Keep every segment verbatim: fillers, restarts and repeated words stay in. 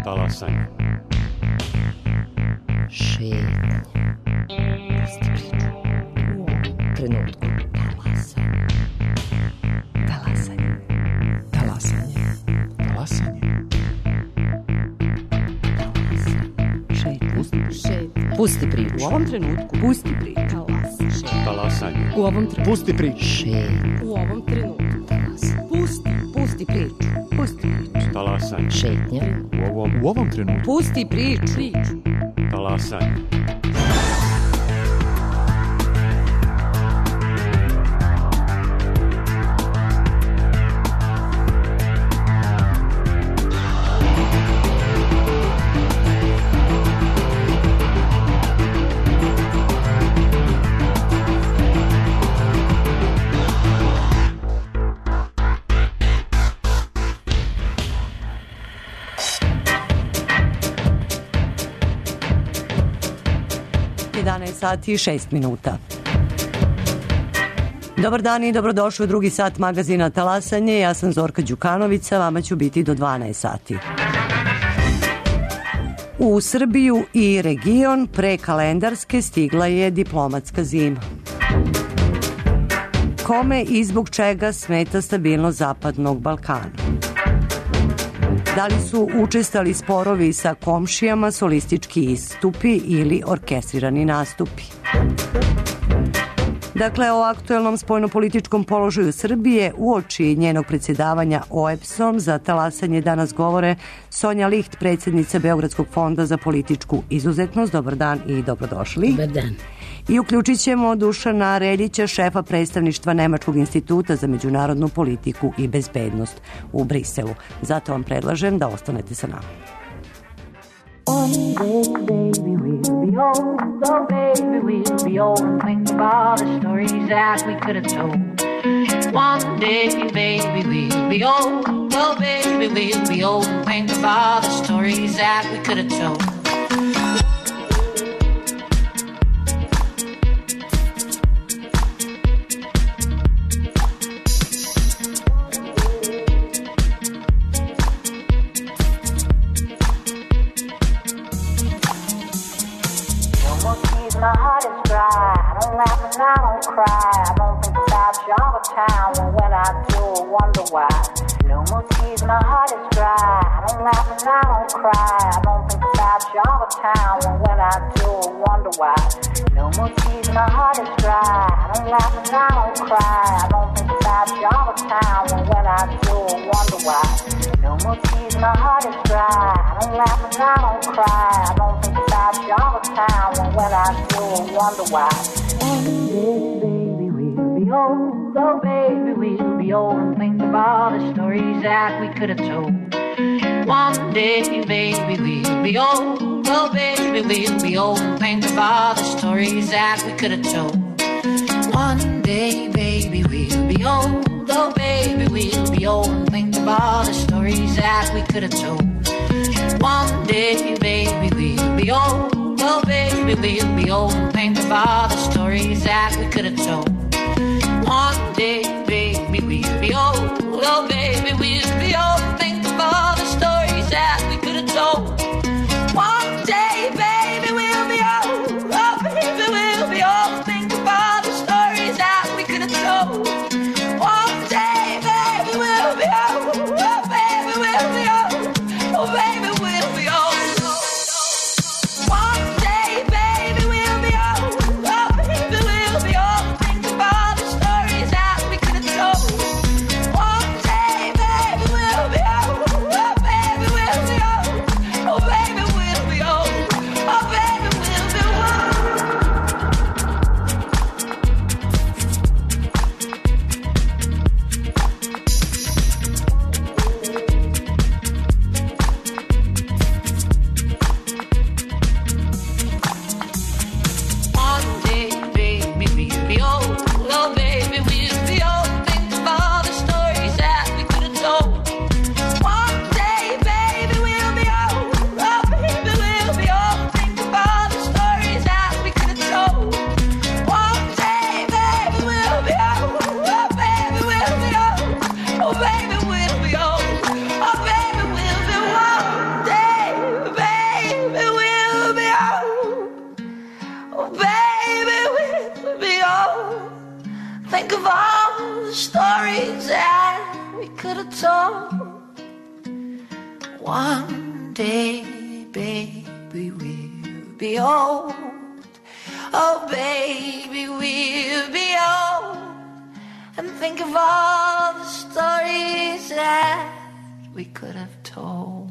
Talasanje. Šetnje. Pusti priču. U ovom trenutku. Talasanje. Talasanje. Talasanje. Talasanje. Šetnje. Pusti priču. U ovom trenutku. Pusti priču. Talasanje. U ovom trenutku. Pusti priču. Šetnje. U ovom trenutku. Pusti. Pusti priču. Pusti priču. Talasanje. Šetnje. U ovom, U ovom trenutku. Pusti priču. Priču. talasanje. jedanaest sati i šest minuta. Dobar dan i dobrodošli u drugi sat magazina Talasanje. Ja sam Zorka Đukanović, a vama ću biti do dvanaest sati. U Srbiju i region pre kalendarske stigla je diplomatska zima. Kome i zbog čega smeta stabilnost Zapadnog Balkana? Da li su učestali sporovi sa komšijama, solistički istupi ili orkestrirani nastupi? Dakle, o aktuelnom spoljnopolitičkom položaju Srbije uoči njenog predsjedavanja O E B S-om za Talasanje danas govore Sonja Licht, predsjednica Beogradskog fonda za političku izuzetnost. Dobar dan i dobrodošli. Dobar dan. I uključit ćemo Dušana Reljića, šefa predstavništva Nemačkog instituta za međunarodnu politiku i bezbednost u Briselu. Zato vam predlažem da ostanete sa nama. One day, baby, we'll be old. Oh, baby, we'll be old and think of all the stories that we could have told. One day, baby, we'll be old. Oh, baby, we'll be old and think of all the stories that we could have told. My heart is dry, I don't laugh and I don't cry. I don't think about you all the time, and when I do, I wonder why. No more tears, my heart is dry, I don't laugh and I don't cry. I don't think about you all the time, and when I do, I wonder why. No more tears, my heart is dry, I don't laugh and I don't cry. I don't think about you all the time, and when I do, I wonder why. No more tears, my heart is dry, I don't laugh and I don't cry. I don't think about you all the time, and when I do, I wonder why. One day, baby, we'll be old. Oh, baby, we'll be old and think of all the stories that we could have told. One day, baby, we'll be old. Oh, baby, we'll be old and think of all the stories that we could have told. One day, baby, we'll be old. Oh, baby, we'll be old and think of all the stories that we could have told. One day, baby, we'll be old. Oh, baby, we'll be old and think of all the stories that we could have told. One day, baby, we'll be old. Oh, baby, we'll be old and think of all the stories that we could have told. One day, baby, we'll be old. Oh, baby, we'll be old and think of all the stories that we could have told. One day, baby, we'll be old. Oh, baby, we'll be old. Oh, baby, we'll be old. of all the stories that we could have told. One day, baby, we'll be old. Oh, baby, we'll be old. And think of all the stories that we could have told.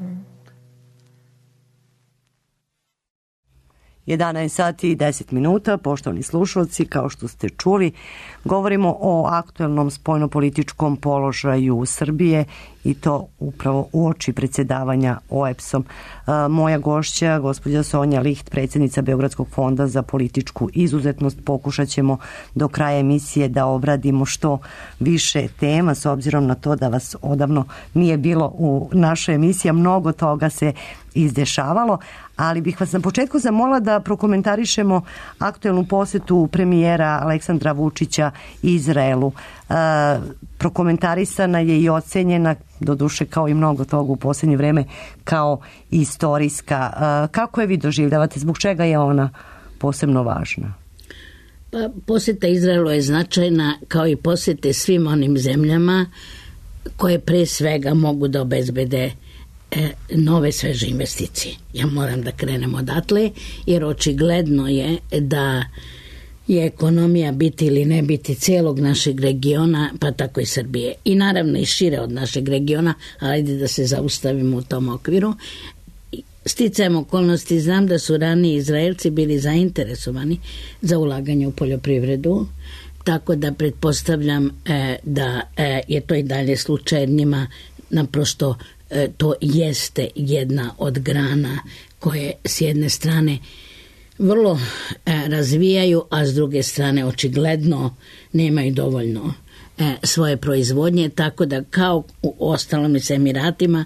jedanaest sati i deset minuta, poštovani slušalci, kao što ste čuli, govorimo o aktuelnom spoljnopolitičkom položaju Srbije i to upravo uoči predsjedavanja O E B S-om. Moja gošća, gospođa Sonja Liht, predsjednica Beogradskog fonda za političku izuzetnost, pokušat ćemo do kraja emisije da obradimo što više tema, s obzirom na to da vas odavno nije bilo u našoj emisiji, mnogo toga se izdešavalo, ali bih vas na početku zamolila da prokomentarišemo aktuelnu posjetu premijera Aleksandra Vučića Izraelu. E, prokomentarisana je i ocenjena, doduše kao i mnogo toga u posljednje vreme, kao istorijska. E, kako je vi doživljavate? Zbog čega je ona posebno važna? Pa, posjeta Izraelu je značajna kao i posjete svim onim zemljama koje pre svega mogu da obezbede nove sveže investicije. Ja moram da krenem odatle, jer očigledno je da je ekonomija biti ili ne biti cijelog našeg regiona, pa tako i Srbije. I naravno i šire od našeg regiona, ali ajde da se zaustavimo u tom okviru. Sticajem okolnosti znam da su ranije Izraelci bili zainteresovani za ulaganje u poljoprivredu, tako da pretpostavljam e, da e, je to i dalje slučaj, jer njima naprosto to jeste jedna od grana koje s jedne strane vrlo razvijaju, a s druge strane očigledno nemaju dovoljno svoje proizvodnje, tako da kao u ostalom i s Emiratima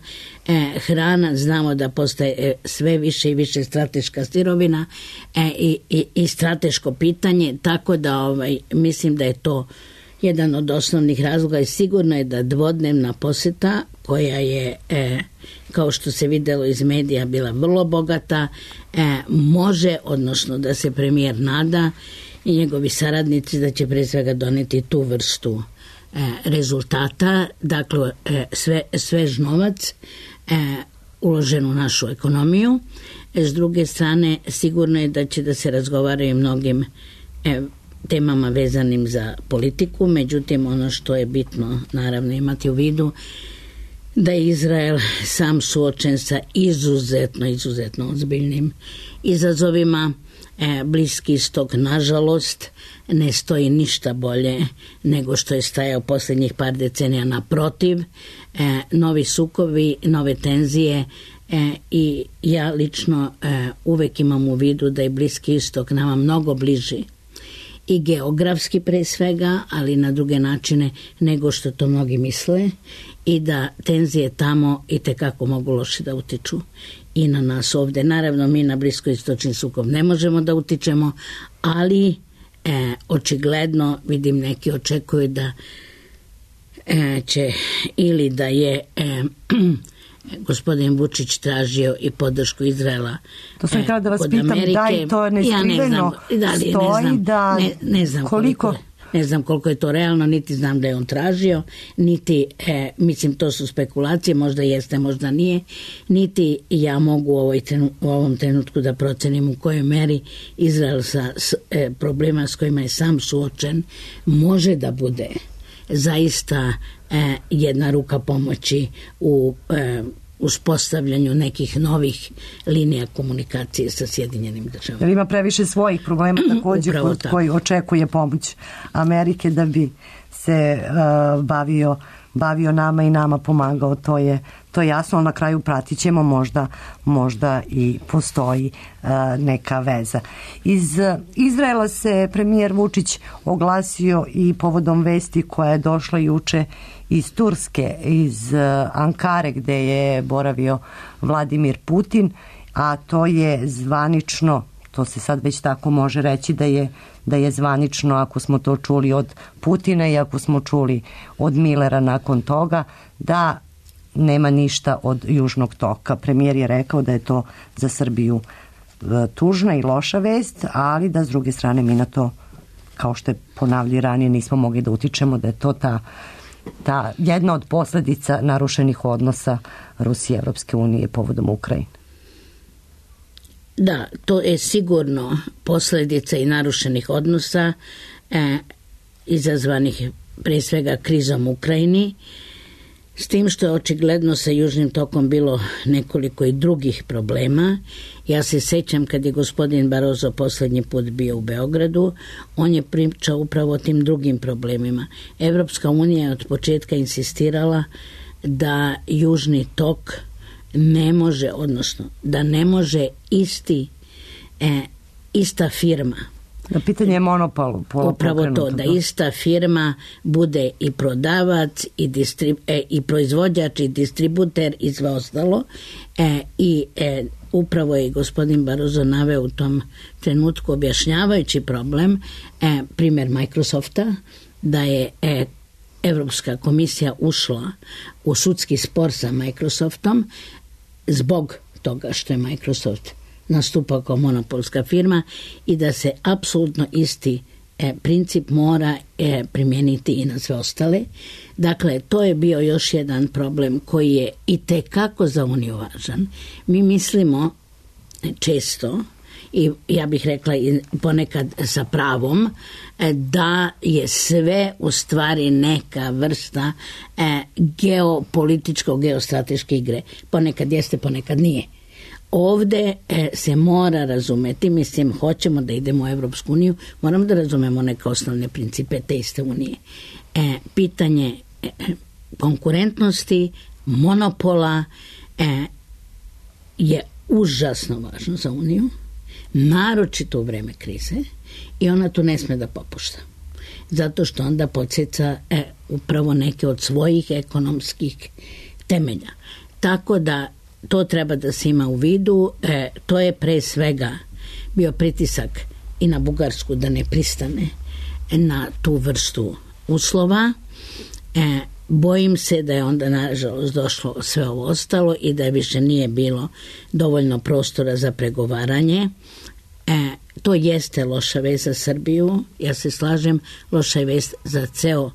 hrana znamo da postaje sve više i više strateška sirovina i, i, i strateško pitanje, tako da ovaj, mislim da je to jedan od osnovnih razloga i sigurno je da dvodnevna posjeta koja je, e, kao što se vidjelo iz medija, bila vrlo bogata, e, može, odnosno da se premijer nada i njegovi saradnici da će pre svega doneti tu vrstu e, rezultata, dakle e, sve, svež novac e, uložen u našu ekonomiju. E, s druge strane, sigurno je da će da se razgovaraju mnogim e, temama vezanim za politiku, međutim ono što je bitno naravno imati u vidu da je Izrael sam suočen sa izuzetno, izuzetno ozbiljnim izazovima. E, Bliski istok, nažalost, ne stoji ništa bolje nego što je stajao posljednjih par decenija. Naprotiv, e, novi sukovi, nove tenzije e, i ja lično e, uvek imam u vidu da je Bliski istok nama mnogo bliži i geografski pre svega, ali na druge načine nego što to mnogi misle, i da tenzije tamo i tekako mogu loše da utiču i na nas ovde. Naravno, mi na bliskoistočni sukob ne možemo da utičemo, ali e, očigledno vidim neki očekuju da e, će ili da je e, gospodin Vučić tražio i podršku Izraela. To sam htjela da vas pitam, Amerike. Da i to neskriveno ja da li, stoji ne znam, da ne, ne znam koliko... koliko ne znam koliko je to realno, niti znam da je on tražio, niti, e, mislim to su spekulacije, možda jeste, možda nije, niti ja mogu u, ovoj trenu, u ovom trenutku da procenim u kojoj meri Izrael sa s, e, problema s kojima je sam suočen može da bude zaista e, jedna ruka pomoći u e, uspostavljanju nekih novih linija komunikacije sa Sjedinjenim državama. Jer ima previše svojih problema također kod koji očekuje pomoć Amerike da bi se uh, bavio, bavio nama i nama pomagao, to je, to je jasno, ali na kraju pratit ćemo, možda, možda i postoji uh, neka veza. Iz uh, Izraela se premijer Vučić oglasio i povodom vesti koja je došla juče iz Turske, iz uh, Ankare gde je boravio Vladimir Putin, a to je zvanično, to se sad već tako može reći da je, da je zvanično, ako smo to čuli od Putina i ako smo čuli od Millera nakon toga, da nema ništa od Južnog toka. Premijer je rekao da je to za Srbiju uh, tužna i loša vest, ali da s druge strane mi na to kao što je ponavljao ranije, nismo mogli da utičemo da je to ta, ta jedna od posledica narušenih odnosa Rusije i Evropske unije povodom Ukrajine. Da, to je sigurno posljedica i narušenih odnosa e, izazvanih pre svega krizom u Ukrajini, s tim što je očigledno sa Južnim tokom bilo nekoliko i drugih problema. Ja se sećam kad je gospodin Barroso poslednji put bio u Beogradu, on je pričao upravo o tim drugim problemima. Evropska unija je od početka insistirala da Južni tok ne može, odnosno da ne može isti, e, ista firma. Pitanje je monopolu. Upravo to, da ista firma bude i prodavac i, distrib, e, i proizvođač i distributer i sve ostalo. E, I e, upravo je gospodin Barroso naveo u tom trenutku objašnjavajući problem, e, primjer Microsofta, da je e, Evropska komisija ušla u sudski spor sa Microsoftom zbog toga što je Microsoft nastupao kao monopolska firma i da se apsolutno isti e, princip mora e, primijeniti i na sve ostale. Dakle, to je bio još jedan problem koji je i tekako za Uniju važan. Mi mislimo često, i ja bih rekla i ponekad sa pravom, da je sve u stvari neka vrsta e, geopolitičko geostrateške igre. Ponekad jeste, ponekad nije. Ovde e, se mora razumeti, mislim, hoćemo da idemo u Evropsku uniju, moramo da razumemo neke osnovne principe te iste unije. E, pitanje e, konkurentnosti, monopola e, je užasno važno za uniju, naročito u vreme krize, i ona tu ne sme da popušta. Zato što onda podsjeća e, upravo neke od svojih ekonomskih temelja. Tako da to treba da se ima u vidu. E, to je pre svega bio pritisak i na Bugarsku da ne pristane na tu vrstu uslova. E, bojim se da je onda nažalost došlo sve ovo ostalo i da više nije bilo dovoljno prostora za pregovaranje. E, to jeste loša vest za Srbiju, ja se slažem, loša je vest za ceo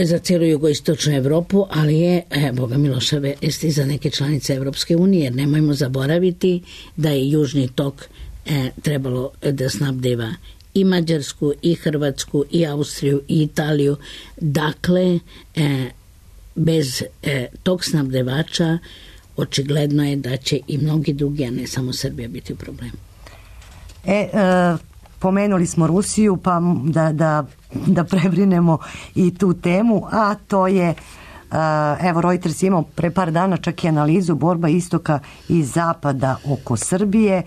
za cijelu jugoistočnu Evropu, ali je, e, boga mi, loša vest i za neke članice Evropske unije, jer nemojmo zaboraviti da je Južni tok e, trebalo da snabdeva i Mađarsku, i Hrvatsku, i Austriju, i Italiju. Dakle, e, bez e, tog snabdevača očigledno je da će i mnogi drugi, a ne samo Srbija, biti u problemu. E, e, pomenuli smo Rusiju, pa da, da, da prebrinemo i tu temu, a to je, evo, Reuters imao pre par dana čak i analizu borba istoka i zapada oko Srbije.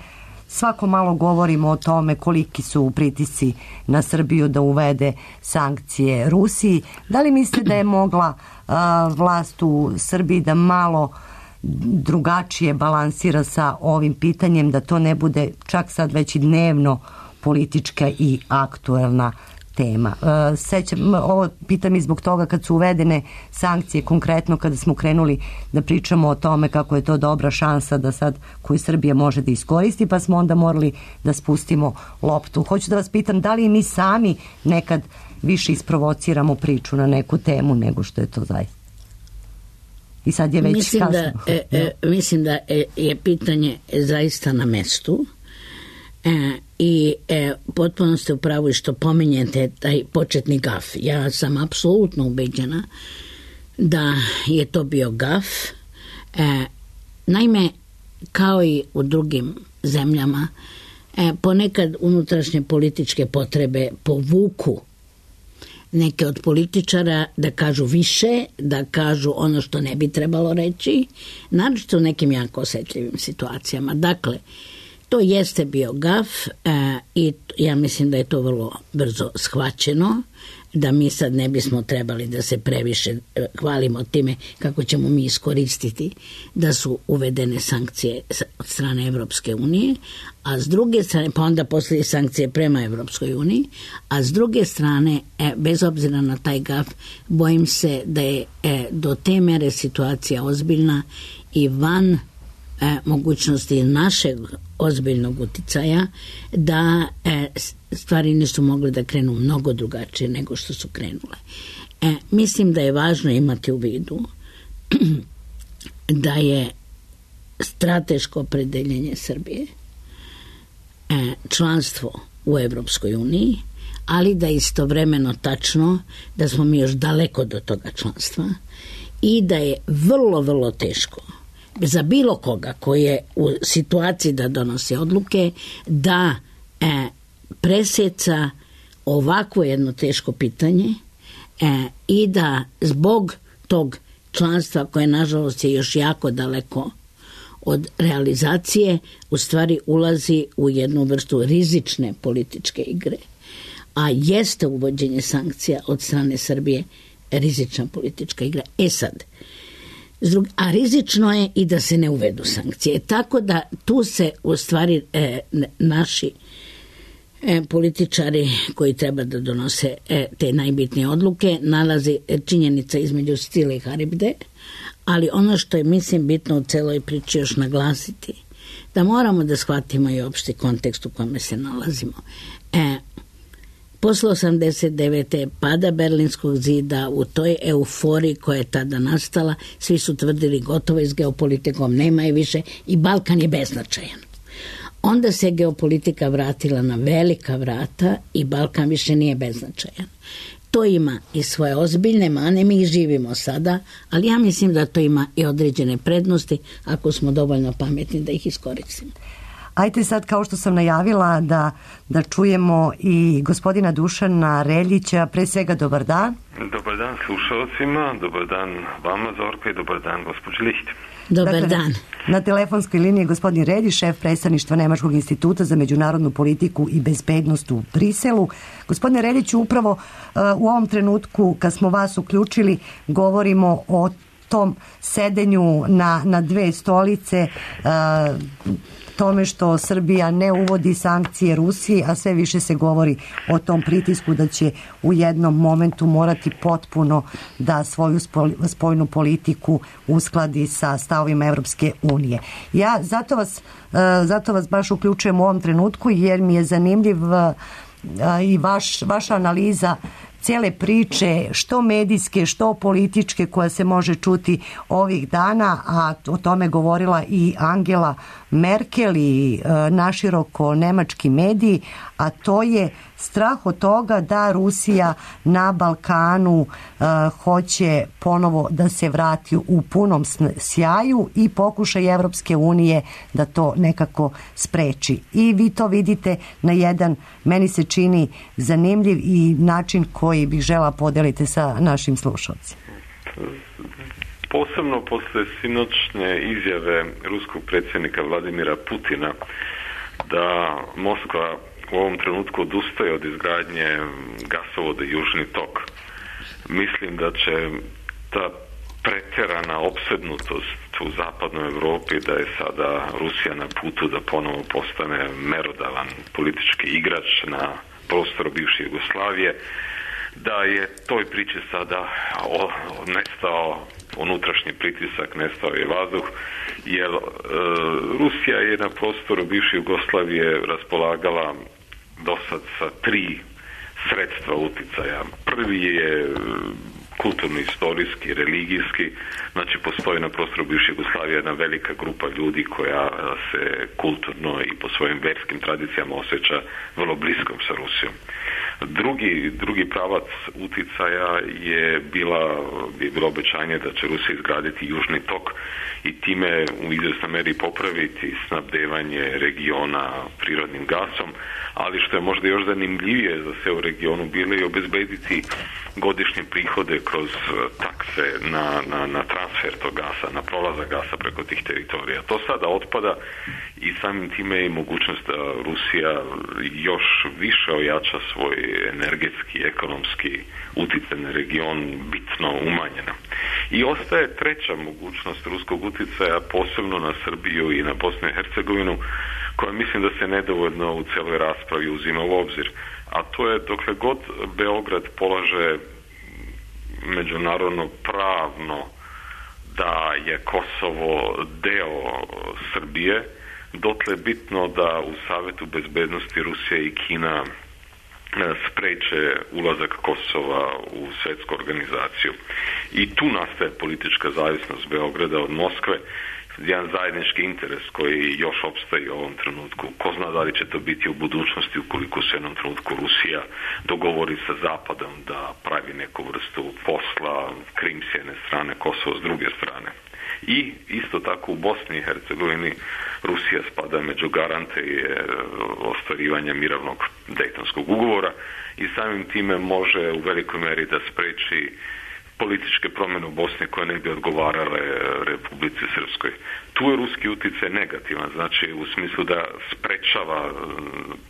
Svako malo govorimo o tome koliki su pritisci na Srbiju da uvede sankcije Rusiji. Da li mislite da je mogla a, vlast u Srbiji da malo drugačije balansira sa ovim pitanjem, da to ne bude čak sad već i dnevno politička i aktuelna tema? E, sećam, ovo pitam i zbog toga kad su uvedene sankcije, konkretno kada smo krenuli da pričamo o tome kako je to dobra šansa da sad koju Srbija može da iskoristi, pa smo onda morali da spustimo loptu. Hoću da vas pitam, da li mi sami nekad više isprovociramo priču na neku temu nego što je to zaista? I sad je već mislim kasno. Da, e, e, mislim da je pitanje zaista na mestu. E, i e, potpuno ste u pravu i što pominjete taj početni gaf. Ja sam apsolutno ubeđena da je to bio gaf. E, naime, kao i u drugim zemljama, e, ponekad unutrašnje političke potrebe povuku neke od političara da kažu više, da kažu ono što ne bi trebalo reći, naročito u nekim jako osetljivim situacijama. Dakle, to jeste bio gaf e, i ja mislim da je to vrlo brzo shvaćeno, da mi sad ne bismo trebali da se previše hvalimo time kako ćemo mi iskoristiti da su uvedene sankcije od strane Evropske unije, a s druge strane, pa onda poslije sankcije prema Evropskoj uniji, a s druge strane, e, bez obzira na taj gaf, bojim se da je e, do te mere situacija ozbiljna i van e, mogućnosti našeg ozbiljnog uticaja, da e, stvari nisu mogle da krenu mnogo drugačije nego što su krenule. E, mislim da je važno imati u vidu da je strateško opredeljenje Srbije e, članstvo u Evropskoj uniji, ali da je istovremeno tačno da smo mi još daleko do toga članstva i da je vrlo, vrlo teško za bilo koga koji je u situaciji da donosi odluke da e, preseca ovako jedno teško pitanje e, i da zbog tog članstva koje nažalost je još jako daleko od realizacije u stvari ulazi u jednu vrstu rizične političke igre, a jeste uvođenje sankcija od strane Srbije rizična politička igra. E sad, a rizično je i da se ne uvedu sankcije. Tako da tu se u stvari e, naši e, političari koji treba da donose e, te najbitnije odluke nalazi činjenica između Stile i Haribde, ali ono što je mislim bitno u celoj priči još naglasiti, da moramo da shvatimo i opšti kontekst u kome se nalazimo. E, Posle osamdeset devete pada Berlinskog zida, u toj euforiji koja je tada nastala, svi su tvrdili gotovo i s geopolitikom nema je više i Balkan je beznačajan. Onda se geopolitika vratila na velika vrata i Balkan više nije beznačajan. To ima i svoje ozbiljne mane, mi ih živimo sada, ali ja mislim da to ima i određene prednosti ako smo dovoljno pametni da ih iskoristimo. Ajte sad, kao što sam najavila, da, da čujemo i gospodina Dušana Reljića. Pre svega, dobar dan. Dobar dan slušalcima, dobar dan vama, Zorka, i dobar dan gospođi Liht. Dobar dakle, dan. Na, na telefonskoj liniji je gospodin Reljić, šef predstavništva Nemačkog instituta za međunarodnu politiku i bezbednost u Briselu. Gospodine Reljiću, upravo uh, u ovom trenutku, kad smo vas uključili, govorimo o tom sedenju na, na dve stolice, uh, tome što Srbija ne uvodi sankcije Rusiji, a sve više se govori o tom pritisku da će u jednom momentu morati potpuno da svoju spoljnu politiku uskladi sa stavovima Evropske unije. Ja zato vas, zato vas baš uključujem u ovom trenutku jer mi je zanimljiv i vaš, vaša analiza cijele priče, što medijske, što političke, koja se može čuti ovih dana, a o tome govorila i Angela Merkel i e, naširoko nemački mediji, a to je strah od toga da Rusija na Balkanu e, hoće ponovo da se vrati u punom sjaju i pokušaj Evropske unije da to nekako spreči. I vi to vidite na jedan, meni se čini, zanimljiv i način koji bih žela podeliti sa našim slušalcima. Posebno posle sinoćne izjave ruskog predsjednika Vladimira Putina da Moskva u ovom trenutku odustaje od izgradnje gasovoda Južni tok. Mislim da će ta pretjerana opsednutost u zapadnoj Evropi da je sada Rusija na putu da ponovo postane merodavan politički igrač na prostoru bivše Jugoslavije, da je toj priči sada o, nestao unutrašnji pritisak, nestao je vazduh, jer e, Rusija je na prostoru bivše Jugoslavije raspolagala dosad sa tri sredstva uticaja. Prvi je kulturno-istorijski, religijski, znači postoji na prostoru bivše Jugoslavije jedna velika grupa ljudi koja se kulturno i po svojim verskim tradicijama osjeća vrlo bliskom sa Rusijom. Drugi, drugi pravac uticaja je bila, je bilo obećanje da će Rusija izgraditi Južni tok i time u izvjesnoj meri popraviti snabdevanje regiona prirodnim gasom, ali što je možda još zanimljivije za sve u regionu bilo i obezbediti godišnje prihode kroz takse na, na, na transfer tog gasa, na prolazak gasa preko tih teritorija. To sada otpada i samim time je mogućnost da Rusija još više ojača svoj energetski, ekonomski uticaj na region bitno umanjena. I ostaje treća mogućnost ruskog uticaja, posebno na Srbiju i na Bosnu i Hercegovinu, koja mislim da se nedovoljno u celoj raspravi uzima u obzir. A to je dokle god Beograd polaže međunarodno pravno da je Kosovo deo Srbije, dotle je bitno da u Savetu bezbednosti Rusija i Kina spreče ulazak Kosova u svetsku organizaciju. I tu nastaje politička zavisnost Beograda od Moskve, jedan zajednički interes koji još opstaje u ovom trenutku. Ko zna da li će to biti u budućnosti ukoliko se u jednom trenutku Rusija dogovori sa Zapadom da pravi neku vrstu posla, Krim s jedne strane, Kosovo s druge strane. I isto tako u Bosni i Hercegovini Rusija spada među garante ostvarivanja mirovnog Dejtonskog ugovora i samim time može u velikoj meri da spreči političke promjene u Bosni koje ne bi odgovarale Republici Srpskoj. Tu je ruski utjecaj negativan, znači u smislu da sprečava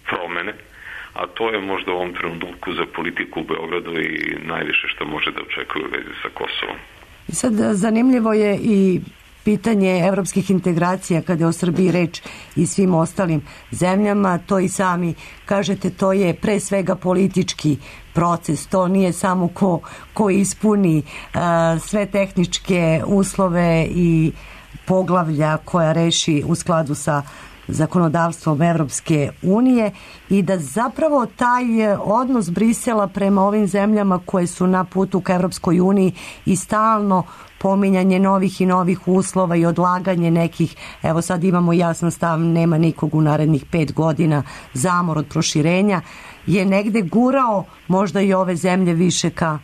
promjene, a to je možda u ovom trenutku za politiku u Beogradu i najviše što može da očekuje u vezi sa Kosovom. Sad zanimljivo je i pitanje evropskih integracija kada je o Srbiji reč i svim ostalim zemljama, to i sami kažete, to je pre svega politički proces, to nije samo ko, ko ispuni uh, sve tehničke uslove i poglavlja koja reši u skladu sa zakonodavstvom Evropske unije i da zapravo taj odnos Brisela prema ovim zemljama koje su na putu ka Evropskoj uniji i stalno pominjanje novih i novih uslova i odlaganje nekih, evo sad imamo jasan stav, nema nikog u narednih pet godina, zamor od proširenja, je negde gurao možda i ove zemlje više ka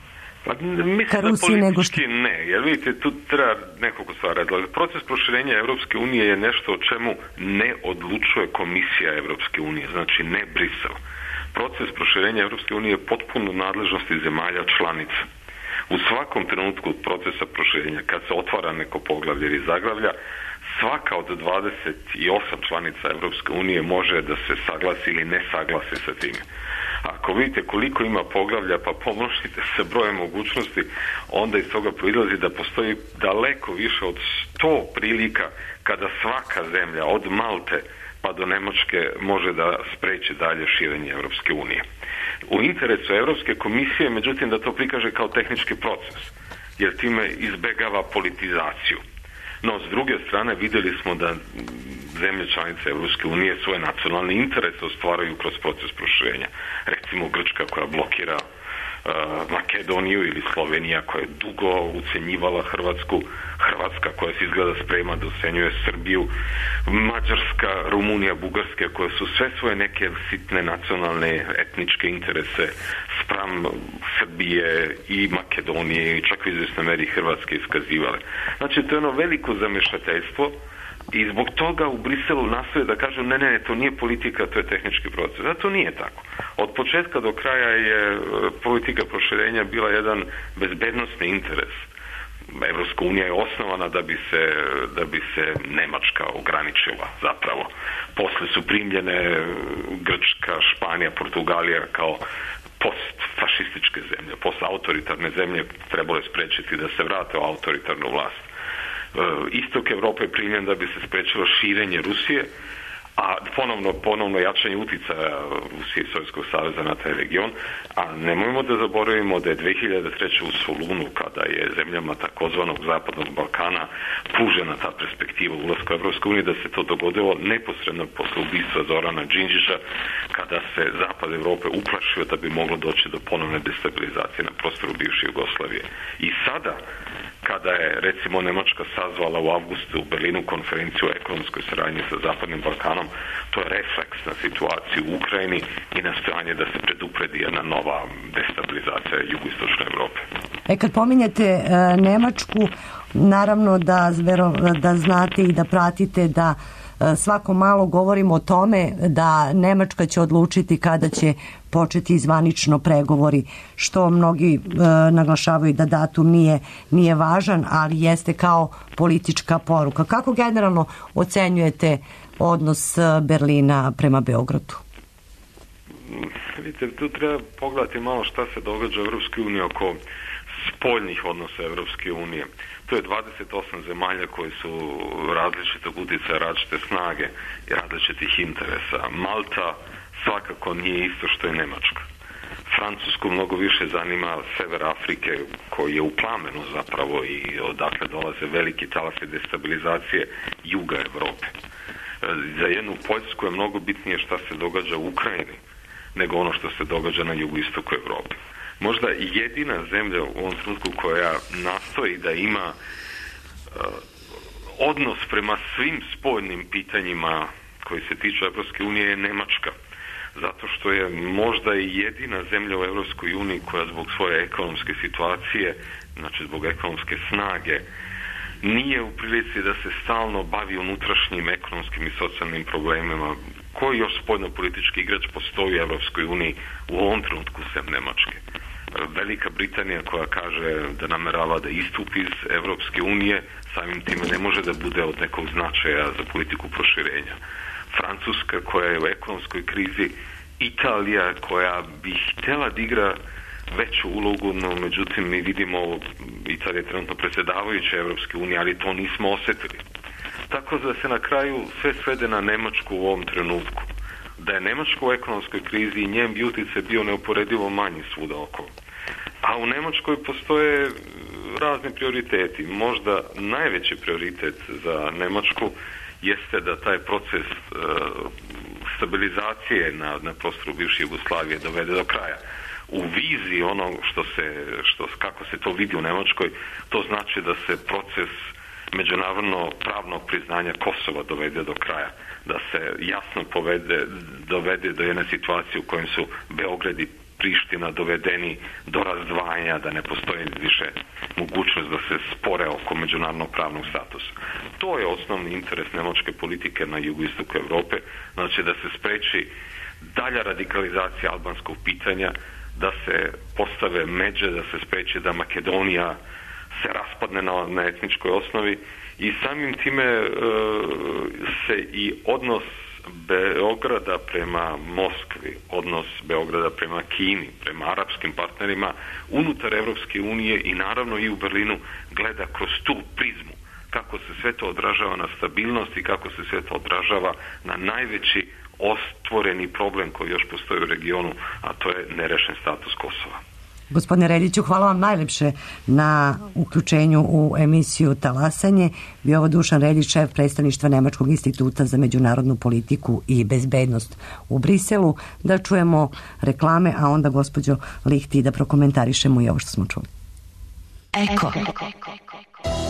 Pa, mislim da politički ne, jer vidite, tu treba nekoliko stvari. Proces proširenja Evropske unije je nešto o čemu ne odlučuje Komisija Evropske unije, znači ne Brisel. Proces proširenja Evropske unije je potpuno nadležnosti zemalja članica. U svakom trenutku procesa proširenja, kad se otvara neko poglavlje ili zaglavlja, svaka od dvadeset osam članica Evropske unije može da se saglasi ili ne saglasi sa time. Ako vidite koliko ima poglavlja, pa pomnožite se brojem mogućnosti, onda iz toga proizlazi da postoji daleko više od sto prilika kada svaka zemlja, od Malte pa do Nemačke, može da spreči dalje širenje Evropske unije. U interesu Evropske komisije, međutim, da to prikaže kao tehnički proces, jer time izbegava politizaciju. No, s druge strane, vidjeli smo da zemlje članice Evropske unije svoje nacionalne interese ostvaraju kroz proces proširenja. Recimo Grčka koja blokira uh, Makedoniju ili Slovenija koja je dugo ucenjivala Hrvatsku, Hrvatska koja se izgleda sprema da ucenjuje Srbiju, Mađarska, Rumunija, Bugarska koje su sve svoje neke sitne nacionalne etničke interese spram Srbije i Makedonije i čak u izvjesnoj meri Hrvatske iskazivale. Znači, to je ono veliko zamešateljstvo i zbog toga u Briselu nastoje da kažu ne, ne, to nije politika, to je tehnički proces. A to nije tako. Od početka do kraja je politika proširenja bila jedan bezbednosni interes. Evropska unija je osnovana da bi se, da bi se Nemačka ograničila zapravo. Posle su primljene Grčka, Španija, Portugalija kao postfašističke zemlje, postautoritarne zemlje, trebalo je sprečiti da se vrate u autoritarnu vlast. Istok Evrope je primljen da bi se sprečilo širenje Rusije, a ponovno, ponovno jačanje uticaja Rusije i Sovjetskog saveza na taj region, a nemojmo da zaboravimo da je dve hiljade treće. u Solunu, kada je zemljama takozvanog Zapadnog Balkana pružena ta perspektiva ulaska u Evropsku uniju, da se to dogodilo neposredno posle ubistva Zorana Đinđića, kada se Zapad Evrope uplašio da bi moglo doći do ponovne destabilizacije na prostoru bivše Jugoslavije. I sada, kada je, recimo, Nemačka sazvala u avgustu u Berlinu konferenciju o ekonomskoj saradnji sa Zapadnim Balkanom, to je refleks na situaciju u Ukrajini i nastojanje da se predupredi jedna nova destabilizacija jugoistočne Evrope. E, kad pominjete e, Nemačku, naravno da, da znate i da pratite da e, svako malo govorimo o tome da Nemačka će odlučiti kada će početi zvanično pregovori, što mnogi e, naglašavaju da datum nije, nije važan, ali jeste kao politička poruka. Kako generalno ocenjujete odnos Berlina prema Beogradu? Vidite, tu treba pogledati malo šta se događa u Evropskoj uniji oko spoljnih odnosa Evropske unije. To je dvadeset osam zemalja koje su različitog utjecaja, različite snage i različitih interesa. Malta svakako nije isto što je Nemačka. Francusku mnogo više zanima sever Afrike koji je u plamenu zapravo i odakle dolaze veliki talasi destabilizacije juga Europe. Za jednu Poljsku je mnogo bitnije šta se događa u Ukrajini nego ono što se događa na jugoistoku Europe. Možda jedina zemlja u ovom trenutku koja nastoji da ima uh, odnos prema svim spoljnim pitanjima koji se tiču Evropske unije je Nemačka. Zato što je možda i jedina zemlja u Evropskoj uniji koja zbog svoje ekonomske situacije, znači zbog ekonomske snage, nije u prilici da se stalno bavi unutrašnjim ekonomskim i socijalnim problemima. Koji još spoljno-politički igrač postoji u Evropskoj uniji u ovom trenutku sem Nemačke? Velika Britanija koja kaže da namerava da istupi iz Evropske unije, samim time ne može da bude od nekog značaja za politiku proširenja. Francuska koja je u ekonomskoj krizi, Italija koja bi htjela da igra veću ulogu, no međutim mi vidimo Italija je trenutno predsjedavajuća Evropske unije, ali to nismo osjetili. Tako da se na kraju sve svede na Nemačku u ovom trenutku. Da je Nemačka u ekonomskoj krizi i njen bi utjecaj bio neuporedivo manji svuda okolo. A u Nemačkoj postoje razni prioriteti. Možda najveći prioritet za Nemačku jeste da taj proces uh, stabilizacije na, na prostoru bivše Jugoslavije dovede do kraja. U viziji ono što se, što, kako se to vidi u Nemačkoj, to znači da se proces međunarodno pravnog priznanja Kosova dovede do kraja, da se jasno povede, dovede do jedne situacije u kojem su Beograd i Priština dovedeni do razdvajanja, da ne postoji više mogućnost da se spore oko međunarodnog pravnog statusa. To je osnovni interes nemačke politike na jugoistoku Europe, znači da se spreči dalja radikalizacija albanskog pitanja, da se postave međe, da se spreči da Makedonija se raspadne na, na etničkoj osnovi i samim time e, se i odnos Beograda prema Moskvi, odnos Beograda prema Kini, prema arapskim partnerima unutar Evropske unije i naravno i u Berlinu gleda kroz tu prizmu. Kako se sve to odražava na stabilnost i kako se sve to odražava na najveći ostvoreni problem koji još postoji u regionu, a to je nerešen status Kosova. Gospodine Reljiću, hvala vam najlepše na uključenju u emisiju Talasanje. Bio ovo Dušan Reljić, šef predstavništva Nemačkog instituta za međunarodnu politiku i bezbednost u Briselu. Da čujemo reklame, a onda gospođo Lihti da prokomentarišemo i ovo što smo čuli. Eko.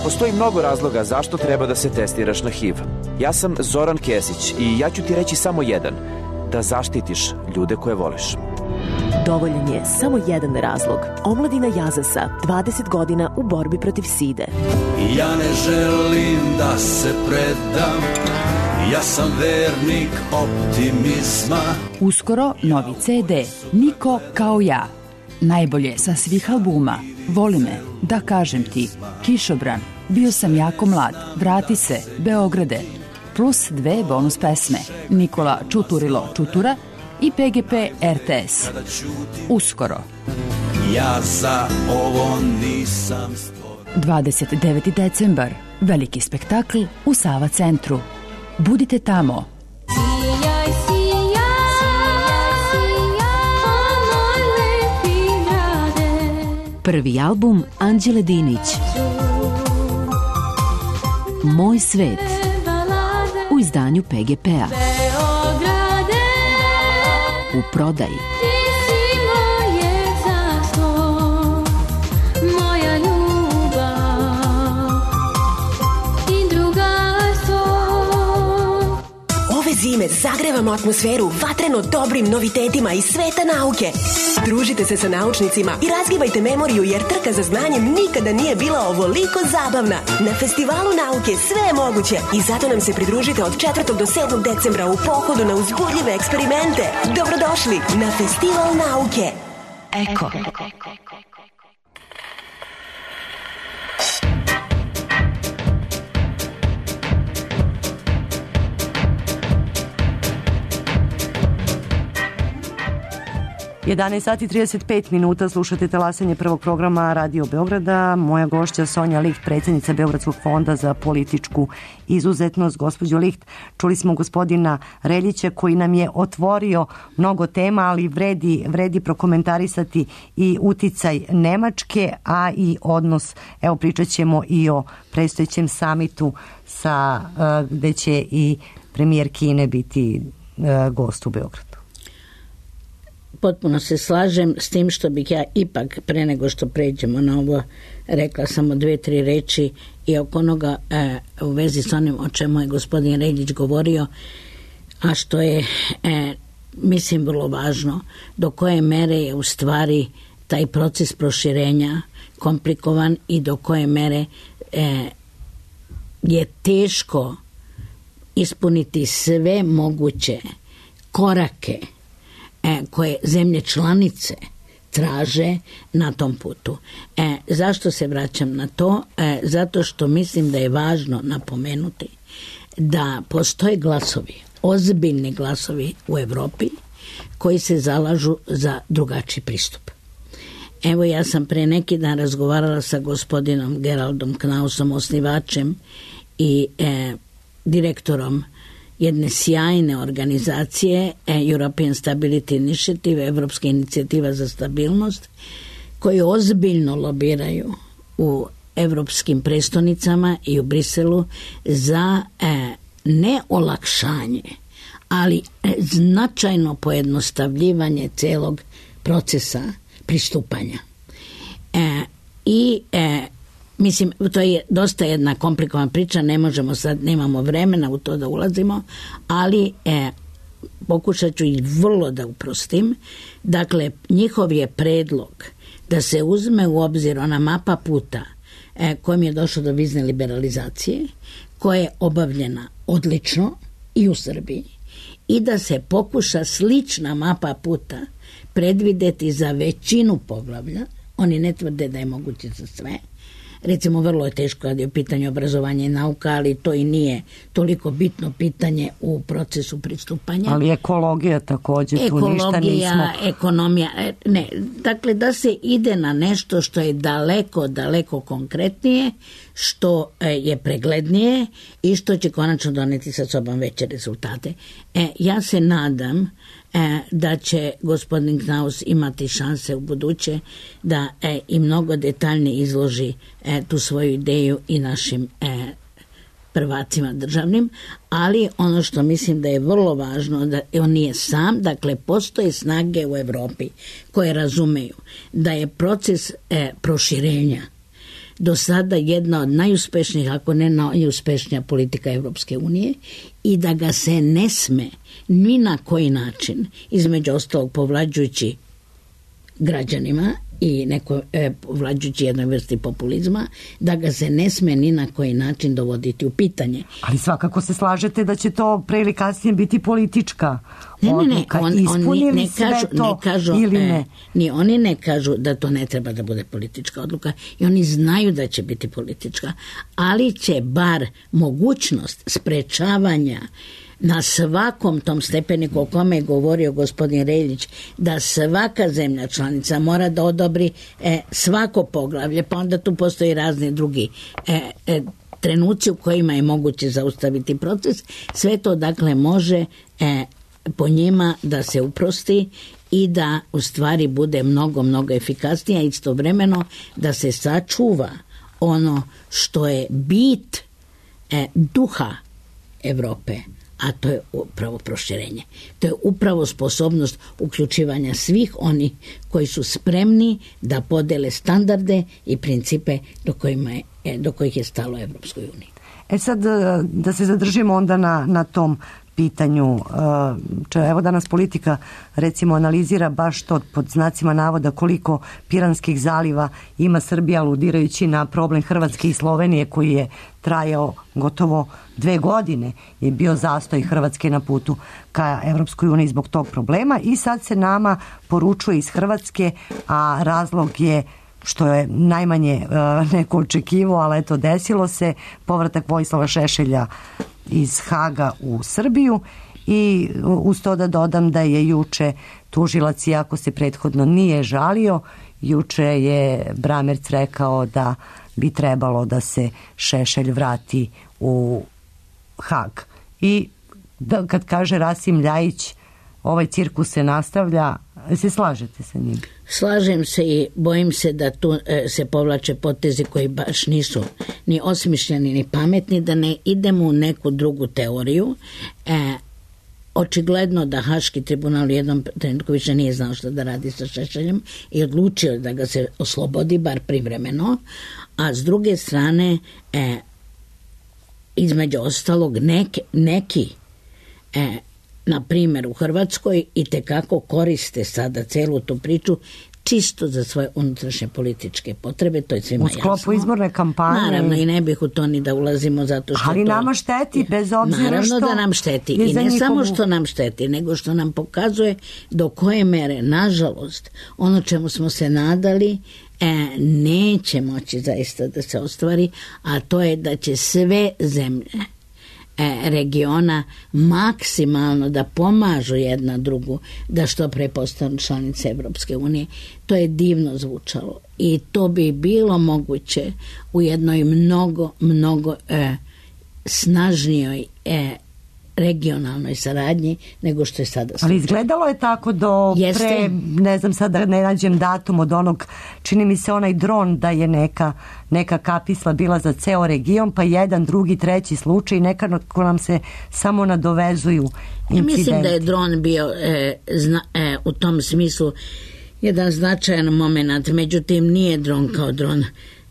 Postoji mnogo razloga zašto treba da se testiraš na H I V. Ja sam Zoran Kesić i ja ću ti reći samo jedan. Da zaštitiš ljude koje voliš. Dovoljan je samo jedan razlog. Omladina Jazasa, dvadeset godina u borbi protiv side. Ja ne želim da se predam, ja sam vernik optimizma. Uskoro novi ce de, Niko kao ja. Najbolje sa svih albuma. Voli me, da kažem ti, Kišobran, bio sam jako mlad, vrati se, Beograde. Plus dve bonus pesme, Nikola Čuturilo Čutura i pe ge pe er te es. Uskoro. Ja za ovo nisam stvoren. dvadeset deveti decembar, veliki spektakl u Sava centru. Budite tamo. Sijaj, sijaj, sijaj, o moj lepi grade. Prvi album Anđele Dinić. Moj svet. U izdanju pe ge pe-a. U prodaji. Ti si moje zaslon, moja ljubav i drugarstvo. Ove zime zagrevamo atmosferu vatreno dobrim novitetima iz sveta nauke. Družite se sa naučnicima i razgibajte memoriju jer trka za znanjem nikada nije bila ovoliko zabavna. Na Festivalu nauke sve je moguće i zato nam se pridružite od četvrtog do sedmog decembra u pohodu na uzbudljive eksperimente. Dobrodošli na Festival nauke. Eko. jedanaest sati i trideset pet minuta, slušate talasanje prvog programa Radio Beograda. Moja gošća Sonja Liht, predsjednica Beogradskog fonda za političku izuzetnost. Gospođo Liht, čuli smo gospodina Reljića koji nam je otvorio mnogo tema, ali vredi, vredi prokomentarisati i uticaj Nemačke, a i odnos, evo pričat ćemo i o predstojećem samitu sa, gde će i premijer Kine biti gost u Beogradu. Potpuno se slažem s tim što bih ja ipak pre nego što pređemo na ovo rekla samo dve, tri reči i oko onoga e, u vezi s onim o čemu je gospodin Reljić govorio, a što je e, mislim vrlo važno, do koje mere je u stvari taj proces proširenja komplikovan i do koje mere e, je teško ispuniti sve moguće korake koje zemlje članice traže na tom putu. E, zašto se vraćam na to? E, zato što mislim da je važno napomenuti da postoje glasovi, ozbiljni glasovi u Evropi koji se zalažu za drugačiji pristup. Evo, ja sam pre neki dan razgovarala sa gospodinom Geraldom Knausom, osnivačem i e, direktorom jedne sjajne organizacije European Stability Initiative, Evropska inicijativa za stabilnost, koji ozbiljno lobiraju u evropskim prestonicama i u Briselu za e, ne olakšanje, ali e, značajno pojednostavljivanje celog procesa pristupanja. E, I e, mislim, to je dosta jedna komplikovana priča, ne možemo sad, nemamo vremena u to da ulazimo, ali e, pokušat ću ih vrlo da uprostim. Dakle, njihov je predlog da se uzme u obzir ona mapa puta e, kojim je došlo do vizne liberalizacije, koja je obavljena odlično i u Srbiji, i da se pokuša slična mapa puta predvideti za većinu poglavlja. Oni ne tvrde da je moguće za sve. Recimo, vrlo je teško kad je u pitanju obrazovanja i nauka, ali to i nije toliko bitno pitanje u procesu pristupanja. Ali ekologija također, tu ništa nismo. Ekonomija, ne, dakle da se ide na nešto što je daleko, daleko konkretnije, što je preglednije i što će konačno doneti sa sobom veće rezultate. E, ja se nadam E, da će gospodin Knaus imati šanse u buduće da e, i mnogo detaljnije izloži e, tu svoju ideju i našim e, prvacima državnim, ali ono što mislim da je vrlo važno, da on nije sam, dakle postoje snage u Evropi koje razumeju da je proces e, proširenja do sada jedna od najuspešnijih, ako ne najuspešnija politika Evropske unije, i da ga se ne sme ni na koji način, između ostalog povlađujući građanima i neko e, povlađujući jednoj vrsti populizma, da ga se ne sme ni na koji način dovoditi u pitanje. Ali svakako se slažete da će to pre ili kasnije biti politička ne, odluka. Ne, ne, on, Ispunili oni ne sve kažu, to ne kažu, ili ne? E, ni oni ne kažu da to ne treba da bude politička odluka i oni znaju da će biti politička, ali će bar mogućnost sprečavanja na svakom tom stepeniku o kome je govorio gospodin Reljić, da svaka zemlja članica mora da odobri e, svako poglavlje, pa onda tu postoji razni drugi e, e, trenuci u kojima je moguće zaustaviti proces. Sve to dakle može e, po njima da se uprosti i da u stvari bude mnogo, mnogo efikasnija, istovremeno da se sačuva ono što je bit e, duha Evrope, a to je upravo proširenje. To je upravo sposobnost uključivanja svih onih koji su spremni da podele standarde i principe do, kojima je, do kojih je stalo Evropskoj uniji. E sad, da se zadržimo onda na, na tom pitanju. Če, evo danas politika recimo analizira baš to pod znacima navoda koliko Piranskih zaliva ima Srbija, aludirajući na problem Hrvatske i Slovenije koji je trajao gotovo dve godine, je bio zastoj Hrvatske na putu ka Evropskoj uniji zbog tog problema i sad se nama poručuje iz Hrvatske, a razlog je što je najmanje uh, neko očekivao, ali eto desilo se, povratak Vojislava Šešelja iz Haga u Srbiju I uz to da dodam da je juče tužilac, iako se prethodno nije žalio, juče je Bramerc rekao da bi trebalo da se Šešelj vrati u Hag. I da, kad kaže Rasim Ljajić, ovaj cirkus se nastavlja, se slažete sa njim? Slažem se i bojim se da tu e, se povlače potezi koji baš nisu ni osmišljeni ni pametni, da ne idemo u neku drugu teoriju. E, očigledno da Haški tribunal u jednom trenutku više nije znao što da radi sa Šešeljem i odlučio da ga se oslobodi, bar privremeno, a s druge strane e, između ostalog neki, neki e, na primjer u Hrvatskoj i tekako koriste sada celu tu priču čisto za svoje unutrašnje političke potrebe, to je svima jasno. U sklopu izborne kampanje. Naravno, i ne bih u to ni da ulazimo zato što ali to... nama šteti, bez obzira naravno što... Naravno da nam šteti. I ne njihovu... samo što nam šteti, nego što nam pokazuje do koje mere, nažalost, ono čemu smo se nadali, e, neće moći zaista da se ostvari, a to je da će sve zemlje regiona maksimalno da pomažu jedna drugu da što pre postanu članice Evropske unije. To je divno zvučalo i to bi bilo moguće u jednoj mnogo, mnogo e, snažnijoj e, regionalnoj saradnji nego što je sada. Ali izgledalo je tako do Jeste. pre, ne znam sad da ne nađem datum od onog, čini mi se onaj dron da je neka, neka kapisla bila za ceo region, pa jedan, drugi, treći slučaj, nekako nam se samo nadovezuju incidenti. Ja mislim da je dron bio e, zna, e, u tom smislu jedan značajan moment, međutim nije dron kao dron.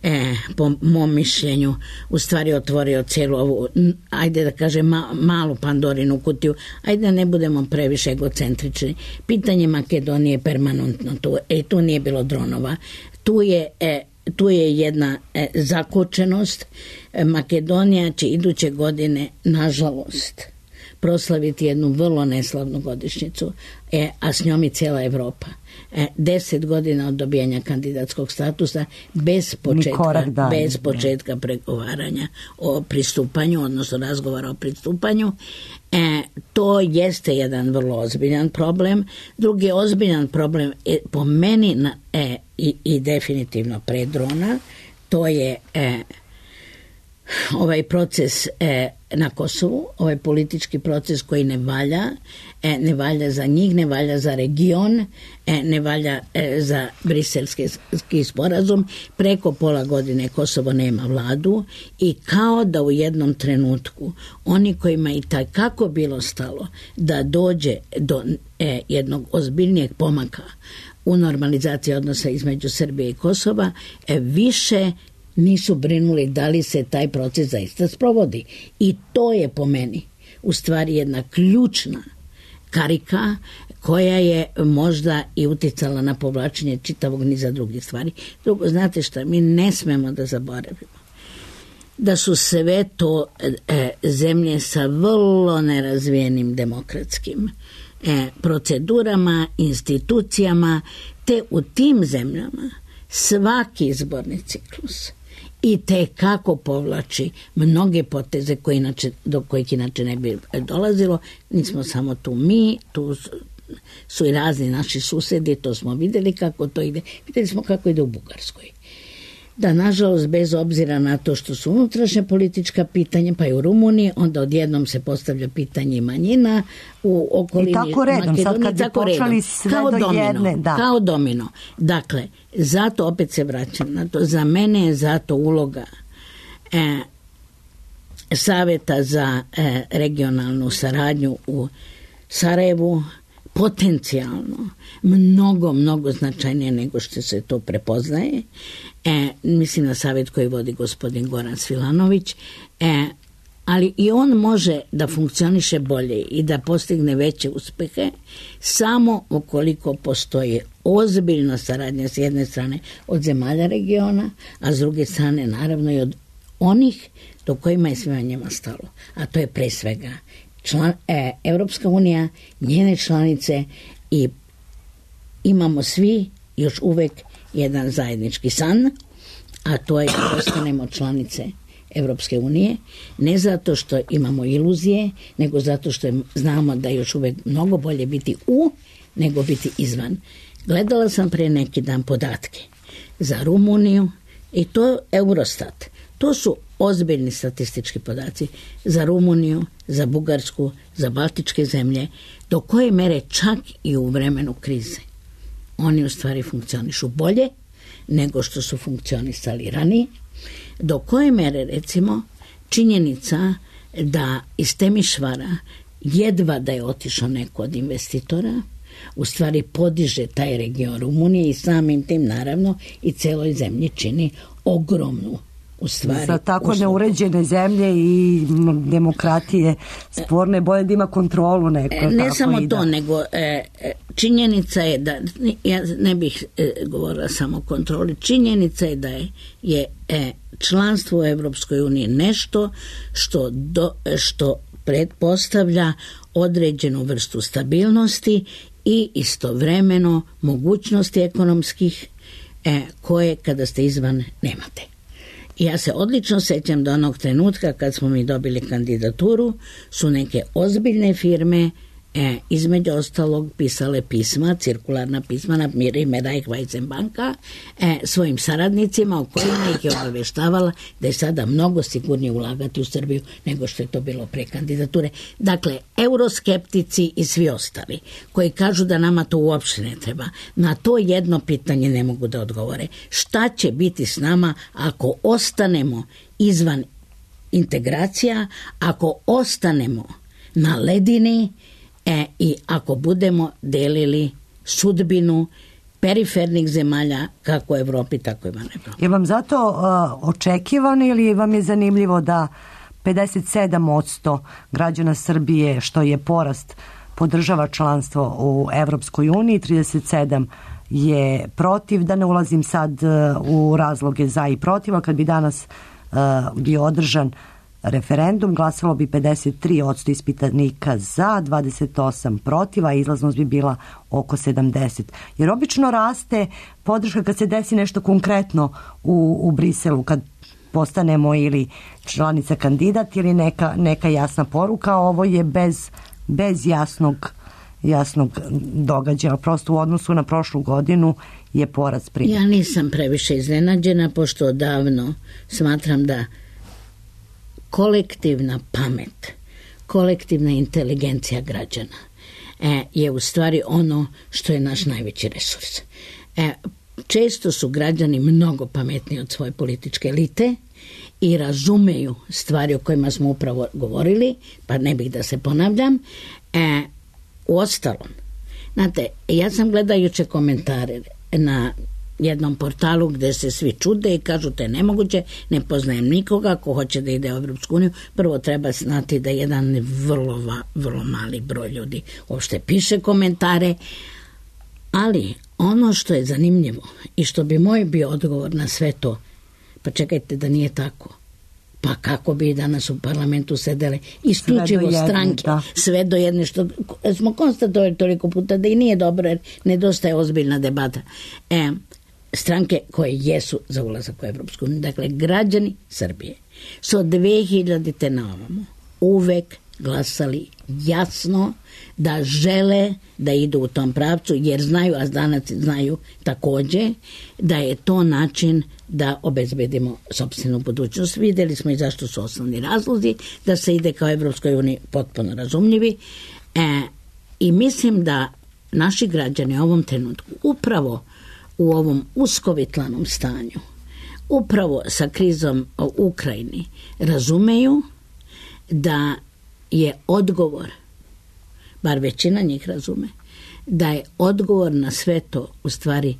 E, po mom mišljenju u stvari otvorio cijelu ovu, ajde da kažem ma, malu Pandorinu kutiju, ajde da ne budemo previše egocentrični. Pitanje Makedonije je permanentno tu, e, tu nije bilo dronova, tu je, e, tu je jedna e, zakočenost. e, Makedonija će iduće godine nažalost proslaviti jednu vrlo neslavnu godišnjicu, e, a s njom i cijela Evropa. E, deset godina od dobijanja kandidatskog statusa bez početka, bez početka pregovaranja o pristupanju, odnosno razgovora o pristupanju. E, to jeste jedan vrlo ozbiljan problem. Drugi ozbiljan problem je po meni na, e, i, i definitivno pre drona, to je e, ovaj proces e, na Kosovu, ovaj politički proces koji ne valja, e, ne valja za njih, ne valja za region, e, ne valja e, za briselski sporazum. Preko pola godine Kosovo nema vladu i kao da u jednom trenutku oni kojima i takako bilo stalo da dođe do e, jednog ozbiljnijeg pomaka u normalizaciji odnosa između Srbije i Kosova, e, više nisu brinuli da li se taj proces zaista sprovodi. I to je po meni u stvari jedna ključna karika koja je možda i uticala na povlačenje čitavog niza drugih stvari. Drugo, znate šta, mi ne smemo da zaboravimo da su sve to e, zemlje sa vrlo nerazvijenim demokratskim e, procedurama, institucijama, te u tim zemljama svaki izborni ciklus i te kako povlači mnoge poteze koje inače, do kojih inače ne bi dolazilo. Nismo samo tu mi, tu su, su i razni naši susedi, to smo vidjeli kako to ide. Vidjeli smo kako ide u Bugarskoj. Da, nažalost, bez obzira na to što su unutrašnje politička pitanja, pa i u Rumuniji, onda odjednom se postavlja pitanje manjina u okolini i tako redom, Makedonije, sad kad bi počeli sve kao do domino, jedne, da. Kao domino. Dakle, zato opet se vraćam na to, za mene je zato uloga e, Saveta za e, regionalnu saradnju u Sarajevu potencijalno mnogo, mnogo značajnije nego što se to prepoznaje. E, mislim na savjet koji vodi gospodin Goran Svilanović, e, ali i on može da funkcioniše bolje i da postigne veće uspehe samo ukoliko postoji ozbiljna saradnja s jedne strane od zemalja regiona, a s druge strane naravno i od onih do kojima je svima njima stalo, a to je pre svega član, e, Evropska unija, njene članice, i imamo svi još uvek jedan zajednički san, a to je da postanemo članice Evropske unije, ne zato što imamo iluzije, nego zato što znamo da je još uvek mnogo bolje biti u nego biti izvan. Gledala sam pre neki dan podatke za Rumuniju i to Eurostat. To su ozbiljni statistički podaci za Rumuniju, za Bugarsku, za Baltičke zemlje, do koje mere čak i u vremenu krize oni u stvari funkcionišu bolje nego što su funkcionisali ranije, do koje mere recimo činjenica da iz Temišvara jedva da je otišao neko od investitora, u stvari podiže taj region Rumunije i samim tim naravno i celoj zemlji čini ogromnu u stvari. Za tako neuređene zemlje i demokratije sporne, bolje da ima kontrolu neko. Ne tako samo i da. to, nego e, činjenica je da, ja ne bih e, govorila samo o kontroli, činjenica je da je, je e, članstvo u Evropskoj uniji nešto što, do, što pretpostavlja određenu vrstu stabilnosti i istovremeno mogućnosti ekonomskih e, koje kada ste izvan nemate. I ja se odlično sećam do onog trenutka kad smo mi dobili kandidaturu, su neke ozbiljne firme e, između ostalog pisale pisma, cirkularna pisma na ime Raiffeisen banka e, svojim saradnicima, o kojima ih je obaveštavala da je sada mnogo sigurnije ulagati u Srbiju nego što je to bilo pre kandidature. Dakle, euroskeptici i svi ostali koji kažu da nama to uopšte ne treba, na to jedno pitanje ne mogu da odgovore. Šta će biti s nama ako ostanemo izvan integracija, ako ostanemo na ledini E, i ako budemo delili sudbinu perifernih zemalja kako u Evropi, tako i van Evropi. Je vam zato uh, očekivano ili vam je zanimljivo da pedeset sedam posto građana Srbije, što je porast, podržava članstvo u Evropskoj uniji, trideset sedam je protiv, da ne ulazim sad uh, u razloge za i protiv, a kad bi danas uh, bio održan referendum, glasalo bi pedeset tri posto ispitanika za, dvadeset osam protiv, a izlaznost bi bila oko sedamdeset. Jer obično raste podrška kad se desi nešto konkretno u, u Briselu, kad postanemo ili članica kandidat ili neka, neka jasna poruka. Ovo je bez, bez jasnog, jasnog događaja. Prosto u odnosu na prošlu godinu je porast primjer. Ja nisam previše iznenađena, pošto odavno smatram da kolektivna pamet, kolektivna inteligencija građana e, je u stvari ono što je naš najveći resurs. E, često su građani mnogo pametniji od svoje političke elite i razumeju stvari o kojima smo upravo govorili, pa ne bih da se ponavljam. E, u ostalom, znate, ja sam gledajuće komentare na jednom portalu gde se svi čude i kažu to je nemoguće, ne poznajem nikoga ko hoće da ide u Evropsku uniju. Prvo treba znati da jedan vrlo, vrlo mali broj ljudi uopšte piše komentare, ali ono što je zanimljivo i što bi moj bio odgovor na sve to, pa čekajte da nije tako. Pa kako bi danas u parlamentu sedele isključivo stranke, da. Sve do jedne, što smo konstatovali toliko puta da i nije dobro jer nedostaje ozbiljna debata. E, stranke koje jesu za ulazak u Evropsku uniju. Dakle, građani Srbije su od dve hiljadite na ovamo uvek glasali jasno da žele da idu u tom pravcu, jer znaju, a danas znaju takođe, da je to način da obezbedimo sopstvenu budućnost. Videli smo i zašto su osnovni razlozi da se ide kao Evropskoj uniji, potpuno razumljivi. E, I mislim da naši građani u ovom trenutku upravo u ovom uskovitlanom stanju, upravo sa krizom u Ukrajini, razumeju da je odgovor, bar većina njih razume, da je odgovor na sve to u stvari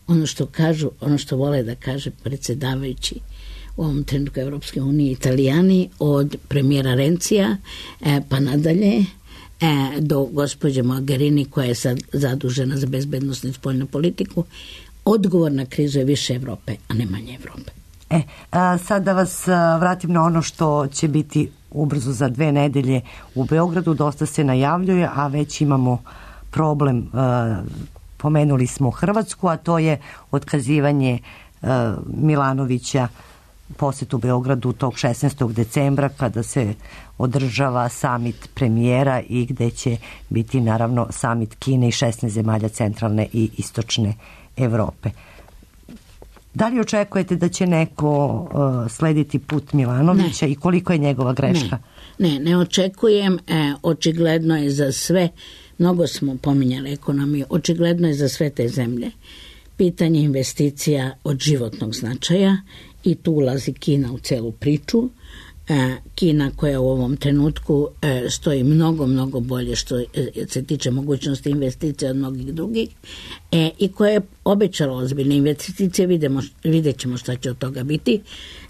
ono što kažu, ono što vole da kaže predsjedavajući u ovom trenutku Evropske unije, Italijani, od premijera Rencija e, pa nadalje e, do gospođe Mogherini koja je sad zadužena za bezbednosnu i spoljnu politiku. Odgovor na krizu je više Evrope, a ne manje Evrope. E, a, sad da vas a, vratim na ono što će biti ubrzo za dve nedelje u Beogradu. Dosta se najavljuje, a već imamo problem. A, pomenuli smo Hrvatsku, a to je otkazivanje a, Milanovića posetu Beogradu tog šesnaestog decembra kada se održava samit premijera i gde će biti naravno samit Kine i šesnaest zemalja centralne i istočne Evrope. Da li očekujete da će neko uh, slediti put Milanovića ne. I koliko je njegova greška? Ne, ne, ne očekujem. E, očigledno je za sve, mnogo smo pominjali ekonomiju, očigledno je za sve te zemlje pitanje investicija od životnog značaja i tu ulazi Kina u celu priču. E, Kina koja u ovom trenutku e, stoji mnogo, mnogo bolje što se tiče mogućnosti investicija od mnogih drugih e, i koja je obećala ozbiljne investicije, vidimo, vidjet ćemo šta će od toga biti.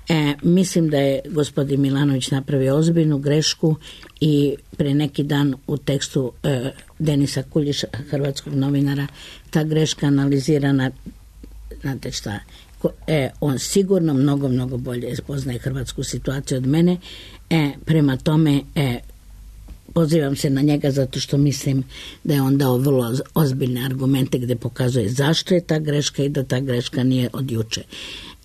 E, mislim da je gospodin Milanović napravio ozbiljnu grešku i pre neki dan u tekstu e, Denisa Kuljiša, hrvatskog novinara, ta greška analizirana, znate šta, E, on sigurno mnogo, mnogo bolje poznaje hrvatsku situaciju od mene. E, prema tome e, pozivam se na njega zato što mislim da je on dao vrlo ozbiljne argumente gde pokazuje zašto je ta greška i da ta greška nije od juče.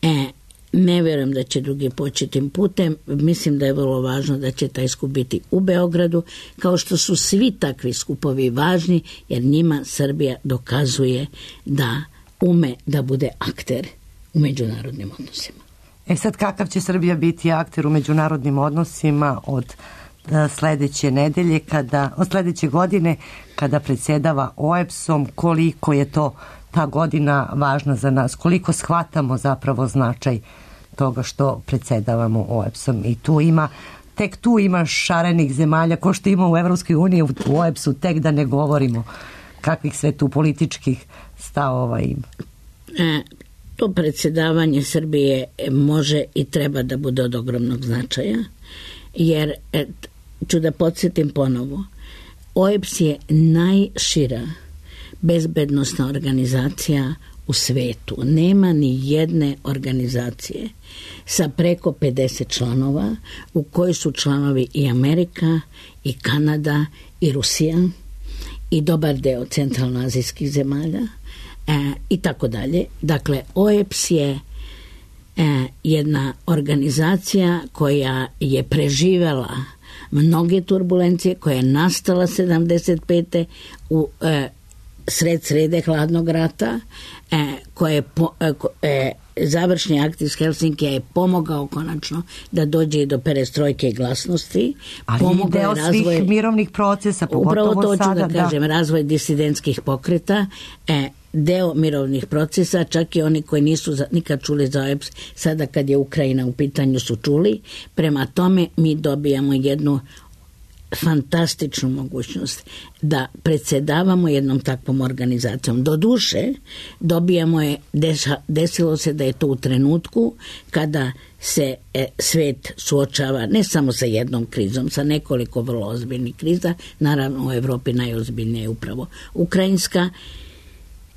E, ne vjerujem da će drugi poći tim putem. Mislim da je vrlo važno da će taj skup biti u Beogradu, kao što su svi takvi skupovi važni, jer njima Srbija dokazuje da ume da bude akter u međunarodnim odnosima. E sad, kakav će Srbija biti akter u međunarodnim odnosima od uh, sledeće nedelje, kada, od sledeće godine, kada predsjedava O E B S-om, koliko je to ta godina važna za nas, koliko shvatamo zapravo značaj toga što predsjedavamo O E B S-om. I tu ima, tek tu ima šarenih zemalja, ko što ima u Evropskoj uniji, u O E B S-u, tek da ne govorimo kakvih sve tu političkih stavova ima. E, To predsjedavanje Srbije može i treba da bude od ogromnog značaja, jer, et, ću da podsjetim ponovo, O E B S je najšira bezbednosna organizacija u svetu. Nema ni jedne organizacije sa preko pedeset članova u kojoj su članovi i Amerika, i Kanada, i Rusija, i dobar deo centralnoazijskih zemalja, E, i tako dalje. Dakle, O E B S je e, jedna organizacija koja je preživela mnoge turbulencije, koja je nastala sedamdeset pete u e, sred srede hladnog rata, e, koja je po, e, e, završni akt iz Helsinkija je pomogao konačno da dođe i do perestrojke i glasnosti. Ali pomogao deo razvoj, svih mirovnih procesa, pogotovo upravo to ću sada, da kažem, da. Razvoj disidentskih pokreta, e, deo mirovnih procesa, čak i oni koji nisu za, nikad čuli za O E B S, sada kad je Ukrajina u pitanju su čuli. Prema tome mi dobijamo jednu fantastičnu mogućnost da predsjedavamo jednom takvom organizacijom. Do duše dobijamo je, desilo se da je to u trenutku kada se e, svet suočava ne samo sa jednom krizom, sa nekoliko vrlo ozbiljnih kriza, naravno u Evropi najozbiljnija je upravo ukrajinska.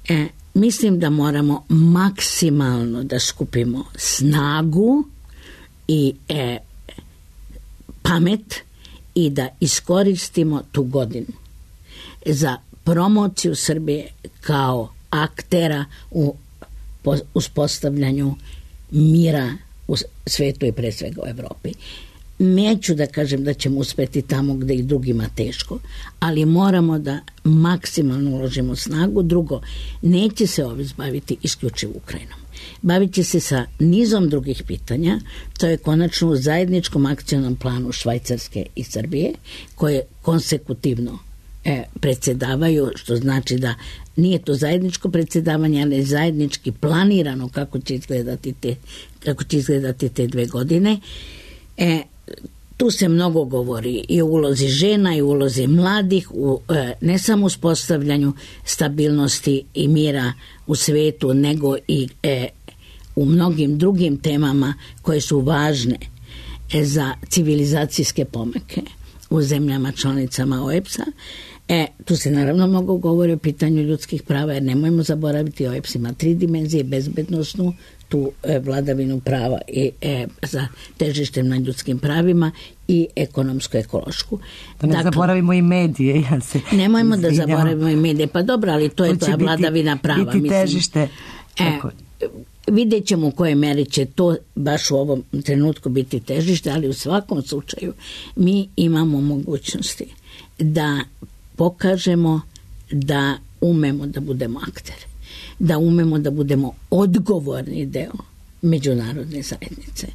E, mislim da moramo maksimalno da skupimo snagu i e, pamet i da iskoristimo tu godinu za promociju Srbije kao aktera u uspostavljanju mira u svetu i pre svega u Evropi. Neću da kažem da ćemo uspeti tamo gde i drugima teško, ali moramo da maksimalno uložimo snagu. Drugo, neće se ovdje baviti isključivo Ukrajinom. Bavit će se sa nizom drugih pitanja, to je konačno u zajedničkom akcionom planu Švajcarske i Srbije, koje konsekutivno e, predsjedavaju, što znači da nije to zajedničko predsjedavanje, ali zajednički planirano kako će izgledati te, kako će izgledati te dve godine. E, tu se mnogo govori i o ulozi žena i o ulozi mladih, u, e, ne samo u uspostavljanju stabilnosti i mira u svetu, nego i e, u mnogim drugim temama koje su važne e, za civilizacijske pomake u zemljama članicama O E B S-a. E, tu se naravno mnogo govori o pitanju ljudskih prava, jer nemojmo zaboraviti, O E B S ima tri dimenzije: bezbednosnu, tu e, vladavinu prava i e, za težištem na ljudskim pravima, i ekonomsko-ekološku. Da ne dakle, zaboravimo i medije. Ja se nemojmo izvinjam. da zaboravimo i medije. Pa dobro, ali to je ta vladavina prava. Biti težište. E, vidjet ćemo u kojoj meri će to baš u ovom trenutku biti težište, ali u svakom slučaju mi imamo mogućnosti da pokažemo da umemo da budemo akteri, da umemo da budemo odgovorni deo međunarodne zajednice.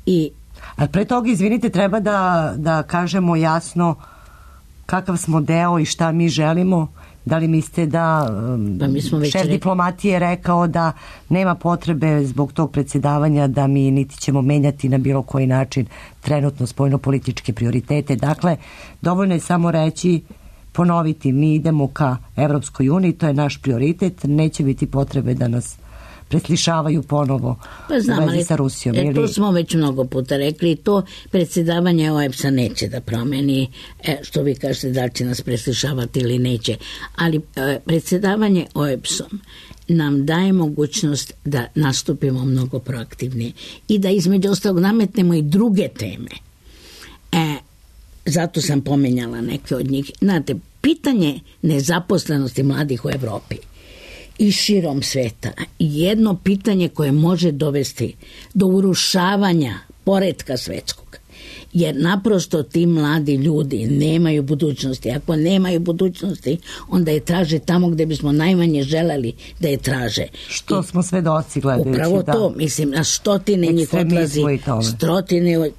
I ali pre toga, izvinite, treba da, da kažemo jasno kakav smo deo i šta mi želimo. Da li mislite da um, pa mi smo već šef rekli... diplomatije je rekao da nema potrebe zbog tog predsjedavanja da mi niti ćemo menjati na bilo koji način trenutno spoljno-političke prioritete. Dakle, dovoljno je samo reći, ponoviti, mi idemo ka Evropskoj uniji, to je naš prioritet, neće biti potrebe da nas preslišavaju ponovo pa znam, u vezi sa Rusijom. E, ili... To smo već mnogo puta rekli, to predsjedavanje O E B S-a neće da promeni, e, što vi kažete da li će nas preslišavati ili neće, ali e, predsjedavanje O E B S-om nam daje mogućnost da nastupimo mnogo proaktivnije i da između ostalog nametnemo i druge teme. E, zato sam pomenjala neke od njih. Znate, pitanje nezaposlenosti mladih u Evropi i širom sveta, jedno pitanje koje može dovesti do urušavanja poretka svetskog, jer naprosto ti mladi ljudi nemaju budućnosti. Ako nemaju budućnosti, onda je traže tamo gde bismo najmanje želeli da je traže. Što I smo svedoci gledajući. Upravo da. to, mislim, na stotine njih odlazi, stotine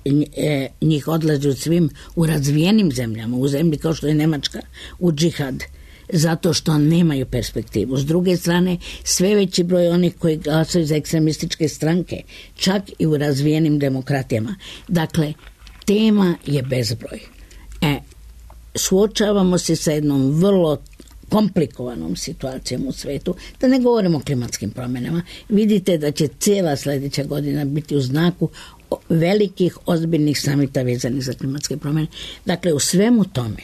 njih odlazi u svim u razvijenim zemljama, u zemlji kao što je Nemačka, u džihad, zato što nemaju perspektivu. S druge strane, sve veći broj onih koji glasaju za ekstremističke stranke, čak i u razvijenim demokratijama. Dakle, tema je bezbroj. E, suočavamo se sa jednom vrlo komplikovanom situacijom u svetu, da ne govorimo o klimatskim promjenama. Vidite da će cijela sljedeća godina biti u znaku velikih, ozbiljnih samita vezanih za klimatske promjene. Dakle, u svemu tome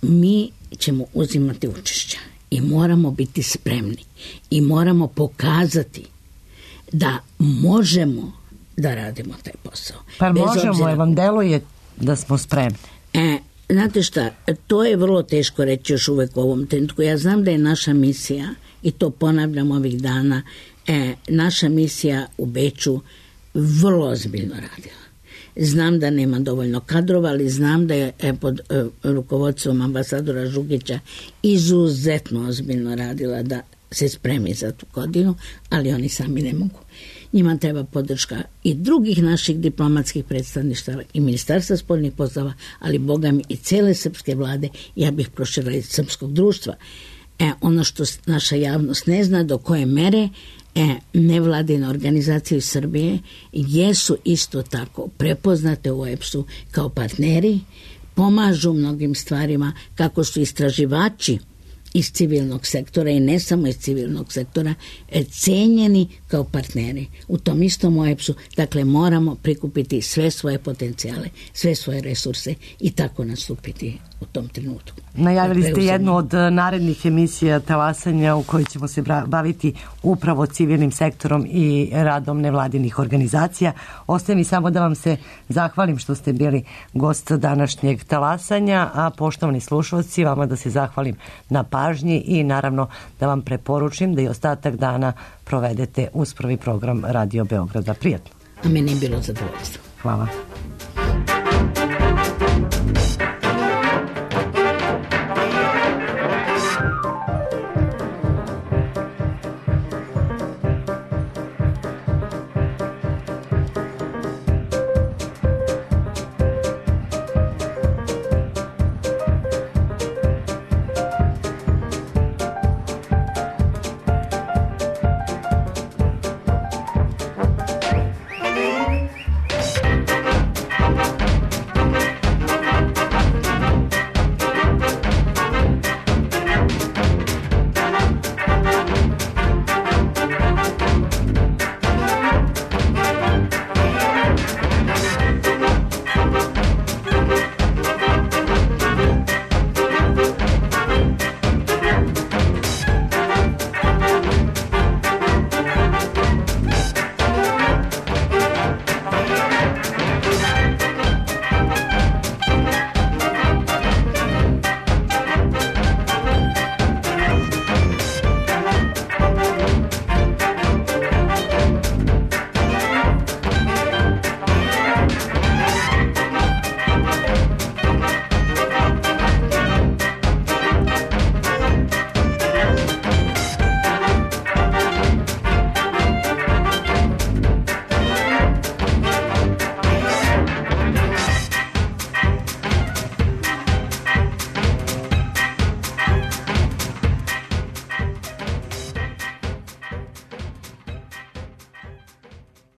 mi ćemo uzimati učešća i moramo biti spremni i moramo pokazati da možemo da radimo taj posao. Pa možemo, obzira... vam deluje da smo spremni. E, znate šta, to je vrlo teško reći još uvek u ovom trenutku. Ja znam da je naša misija, i to ponavljam ovih dana, e, naša misija u Beču vrlo ozbiljno radila. Znam da nema dovoljno kadrova, ali znam da je pod e, rukovodstvom ambasadora Žugića izuzetno ozbiljno radila da se spremi za tu godinu, ali oni sami ne mogu. Njima treba podrška i drugih naših diplomatskih predstavništava i Ministarstva spoljnih poslova, ali boga mi i cele srpske vlade, ja bih proširila i srpskog društva. E, ono što naša javnost ne zna, do koje mere E, nevladine organizacije iz Srbije jesu isto tako prepoznate u O E B S-u kao partneri, pomažu mnogim stvarima, kako su istraživači iz civilnog sektora i ne samo iz civilnog sektora cenjeni kao partneri u tom istom O E B S-u. Dakle, moramo prikupiti sve svoje potencijale, sve svoje resurse i tako nastupiti u tom trenutku. Najavili ste jednu od narednih emisija Talasanja u kojoj ćemo se baviti upravo civilnim sektorom i radom nevladinih organizacija. Ostaje mi samo da vam se zahvalim što ste bili gost današnjeg Talasanja, a poštovani slušalci, vama da se zahvalim na pažnji i naravno da vam preporučim da i ostatak dana provedete uz prvi program Radio Beograda. Prijatno. A meni je bilo zadovoljstvo. Hvala.